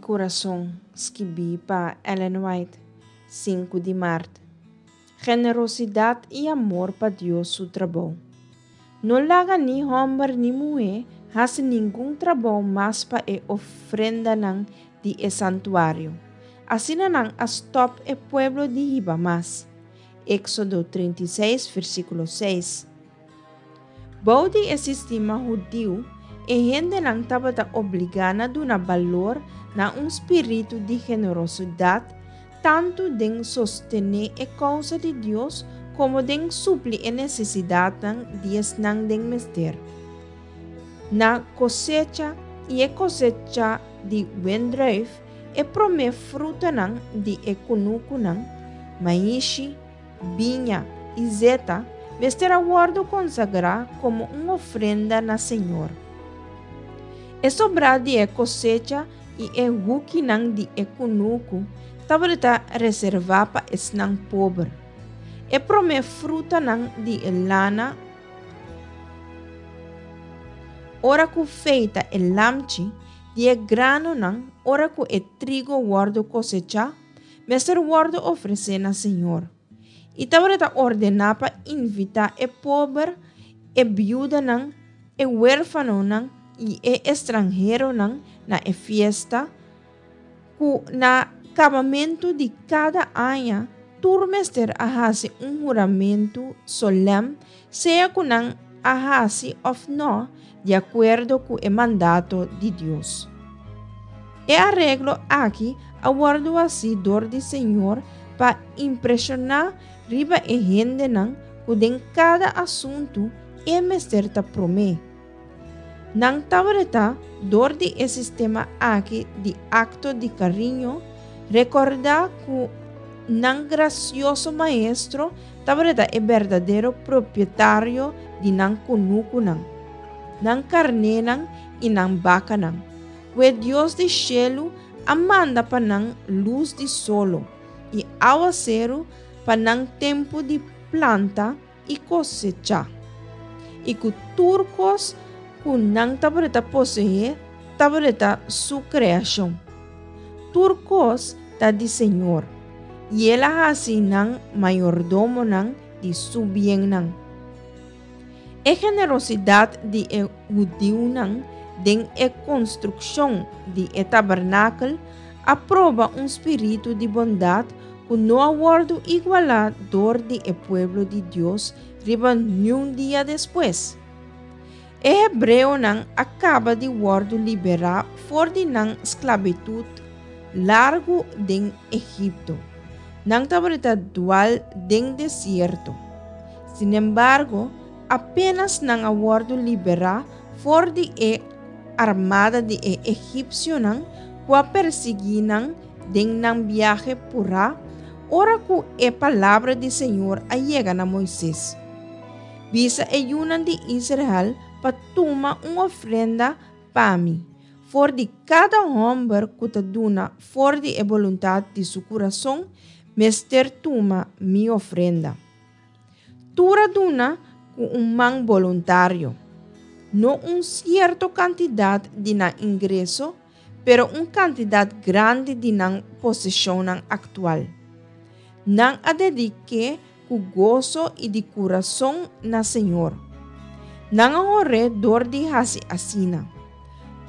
kurason, skibí pa Ellen White, sinku di mart. Generosidat i amor pa Dios su trabou. No laga ni hòmber ni muhé hasi ningun trabou mas pa e ofrendanan di e santuario. Asina nan a stòp e pueblo di hiba mas. Éksodo 36, versíkulo 6. Bou di e sistema hudiu, e hendenan tabata obligá na duna balor na un spiritu di generosidat tantu den sostené e kousa di Dios komo den supli e nesesidatnan di esnan den mester. Na kosecha i e kosecha di wendruif, e promé frutanan di e kunukunan, maishi, biña i zeta, mester a wòrdu konsagrá komo un ofrenda na Señor. E sobrá di e kosecha i e hukinan di e kunuku tabata reservá pa esnan pober. E promé frutanan di e lana ora ku feita e lamchi di e granonan ora ku e trigo wòrdu kosechá, mester wòrdu ofresé na Señor. I tabata ordená pa invitá e pober, e biudanan, e huérfanonan i e estranheronan na e fiesta, ku na kabamentu di kada aña tur mester a hasi un huramentu solèm, sea ku nan a hasi òf nò, di akuerdo ku e mandato di Dios. E areglo aki a wòrdu hasí dor di Señor pa impreshoná riba e hendenan ku den kada asuntu e mester ta promé. Nan tabata dor di e sistema aki di akto di kariño rekordá ku nan grasioso maestro tabata e berdadero propietario di nan kunukunan, nan karnénan i nan bakanan, ku e Dios di shelu a manda pa nan lus di solo i awaseru pa nan tempu di planta i kosechá, i ku tur kos ku nan tabata poseé tabata su kreashon. Tur kos ta di Señor, i el a hasi nan mayordomonan di su biennan. E generosidat di e hudiunan den e konstrukshon di e tabernakel a proba un spiritu di bondat ku no a wòrdu igualá dor di e pueblo di Dios riba niun dia despues. E hebreonan a kaba di wòrdu liberá for di nan sklabitut largu den Egipto. Nan tabata dual den desierto. Sinembargo, apénas nan a wòrdu liberá for di e armada di e egipsionan ku a persiguí nan den nan biahe purá, ora ku e palabra di señor a yega na Moises. Bisa e yunan di Israel pa tuma un ofrenda pa mi, for di kada hòmber ku ta duna for di e boluntat di su kurason mester tuma mi ofrenda. Tur a duna ku un man boluntario, no un sierto kantidat di nan ingreso, pero un kantidat grandi di nan poseshonnan aktual. Nan a dedik'é ku goso i di kurason na Señor. Nan a hor'é dor di hasi asina.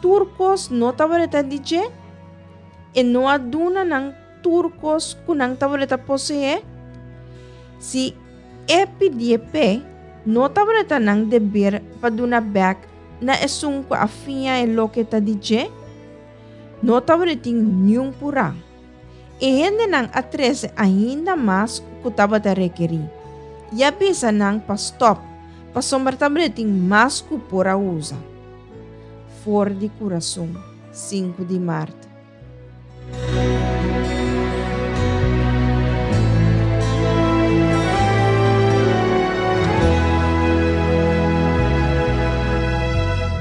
Tur kos no tabata di dje? E no a duna nan tur kos ku nan tabata poseé? Si e pidié p'e, no tabata nan deber pa duna bèk na esun ku a fiña e loke ta di dje? No tabatin niun purá. E hendenan a trese ainda mas ku tabata rekerí, i a bisa nan pa stòp pasobra tabatin mas ku por a usa. For di kurason, sinku di mart.